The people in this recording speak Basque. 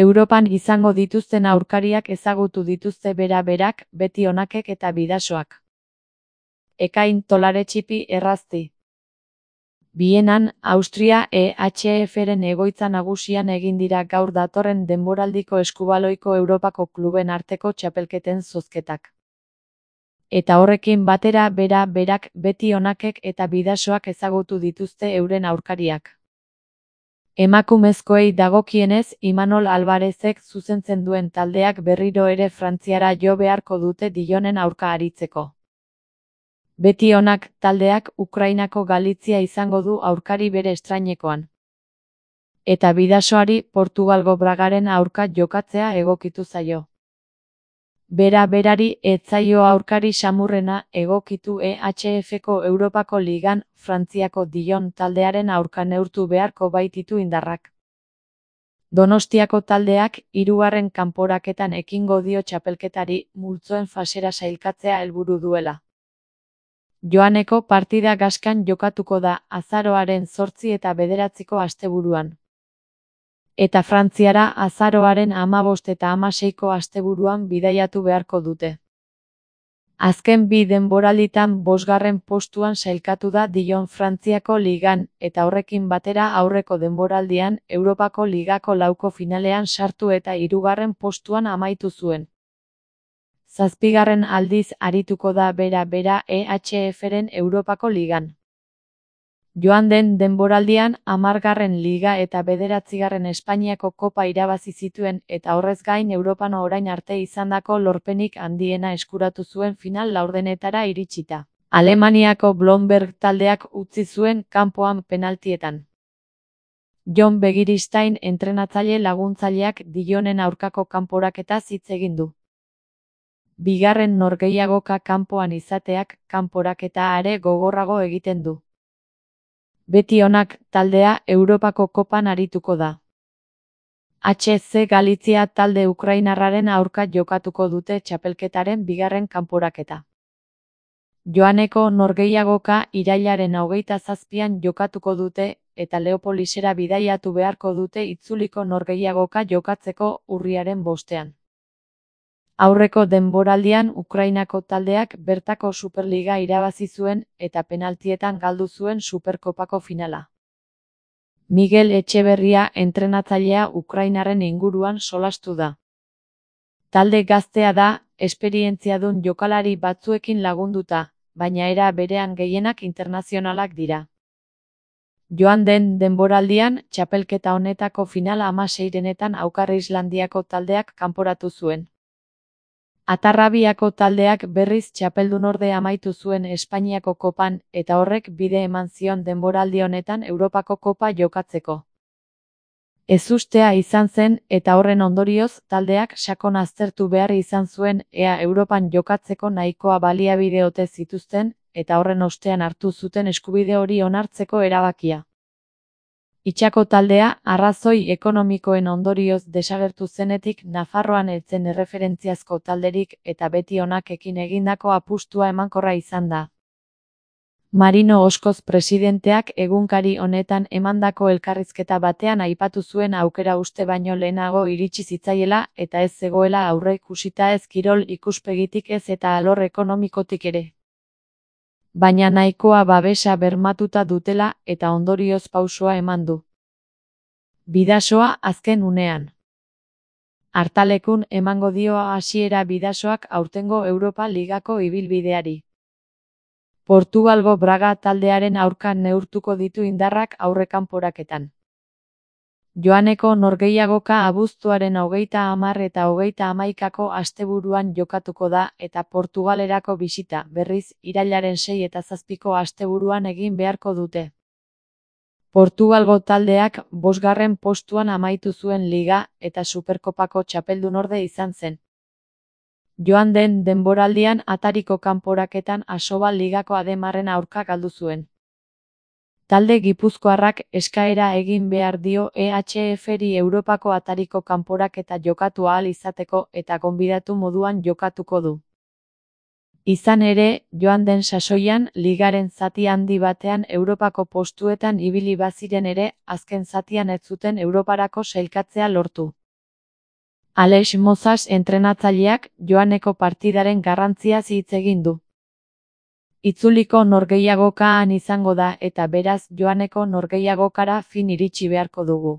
Europan izango dituzten aurkariak ezagutu dituzte bera-berak, beti onakek eta bidasoak. Ekain Tolaretxipi errazti. Bienan, Austria EHF-ren egoitza nagusian egin dira gaur datorren denboraldiko eskubaloiko Europako kluben arteko txapelketen zozketak. Eta horrekin batera bera-berak, beti onakek eta bidasoak ezagutu dituzte euren aurkariak. Emakumezkoei dagokienez, Imanol Alvarezek zuzentzen duen taldeak berriro ere Frantziara jo beharko dute Dillonen aurka aritzeko. Beti onak taldeak Ukrainako Galizia izango du aurkari bere estrainekoan. Eta bidasoari Portugalgo Bragaren aurka jokatzea egokitu zaio. Bera-berari ez zaio aurkari samurrena egokitu EHF-ko Europako Ligan, Frantziako Dillon taldearen aurka neurtu beharko baititu indarrak. Donostiako taldeak hirugarren kanporaketan ekingo dio txapelketari multzoen fasera sailkatzea helburu duela. Joaneko partida Gaskan jokatuko da azaroaren 8 eta 9 asteburuan. Eta Frantziara azaroaren 15 eta 16 asteburuan bidaiatu beharko dute. Azken bi denboralditan 5. postuan sailkatu da Dillon Frantziako Ligan, eta horrekin batera aurreko denboraldian Europako Ligako lauko finalean sartu eta 3. postuan amaitu zuen. 7. aldiz arituko da bera-bera EHF-ren Europako Ligan. Joan den denboraldian 10. Liga eta 9. Espainiako Kopa irabazi zituen eta horrez gain Europan orain arte izandako lorpenik handiena eskuratu zuen final laurdenetara iritsita. Alemaniako Blomberg taldeak utzi zuen kanpoan penaltietan. Jon Begiristain entrenatzaile laguntzaileak Dillonen aurkako kanporaketaz hitz egin du. Bigarren norgehiagoka kanpoan izateak kanporaketa are gogorrago egiten du. Beti onak taldea Europako Kopan arituko da. HC Galizia talde ukrainarraren aurka jokatuko dute txapelketaren bigarren kanporaketa. Joaneko norgehiagoka irailaren 27an jokatuko dute eta Leopolisera bidaiatu beharko dute itzuliko norgehiagoka jokatzeko urriaren 5ean. Aurreko denboraldian Ukrainako taldeak bertako Superliga irabazi zuen eta penaltietan galdu zuen Superkopako finala. Miguel Etxeberria entrenatzailea Ukrainarren inguruan solastu da. Talde gaztea da, esperientziadun jokalari batzuekin lagunduta, baina era berean gehienak internazionalak dira. Joan den denboraldian, txapelketa honetako final 16etan Aukar Islandiako taldeak kanporatu zuen. Atarrabiako taldeak berriz txapeldunorde amaitu zuen Espainiako Kopan eta horrek bide eman zion denboraldi honetan Europako Kopa jokatzeko. Ezustea izan zen eta horren ondorioz taldeak sakon aztertu behar izan zuen ea Europan jokatzeko nahikoa baliabide ote zituzten eta horren ostean hartu zuten eskubide hori onartzeko erabakia. Itxako taldea, arrazoi ekonomikoen ondorioz desagertu zenetik Nafarroan ez zen erreferentziazko talderik eta beti onakekin egindako apustua emankorra izan da. Marino Oskoz presidenteak egunkari honetan emandako elkarrizketa batean aipatu zuen aukera uste baino lehenago iritsi zitzaiela eta ez zegoela aurreikusita ez kirol ikuspegitik ez eta alor ekonomikotik ere. Baina nahikoa babesa bermatuta dutela eta ondorioz pausoa eman du. Bidasoa azken unean. Hartalekun emango dio hasiera bidasoak aurtengo Europa Ligako ibilbideari. Portugalgo Braga taldearen aurka neurtuko ditu indarrak aurrekanporaketan. Joaneko norgehiagoka abuztuaren 30 eta 31 asteburuan jokatuko da eta Portugalerako bisita berriz irailaren 6 eta 7 asteburuan egin beharko dute. Portugalgo taldeak 5. postuan amaitu zuen Liga eta Superkopako txapeldunorde izan zen. Joan den denboraldian atariko kanporaketan Asobal Ligako Ademarren aurka galdu zuen. Talde gipuzkoarrak eskaera egin behar dio EHF-ri Europako atariko kanporaketa jokatu ahal izateko eta gonbidatu moduan jokatuko du. Izan ere, joan den sasoian ligaren zati handi batean Europako postuetan ibili baziren ere, azken zatian ez zuten Europarako sailkatzea lortu. Aleix Mozas entrenatzaileak joaneko partidaren garrantziaz hitz egin du. Itzuliko norgehiagokaan izango da eta beraz joaneko norgehiagokara fin iritsi beharko dugu.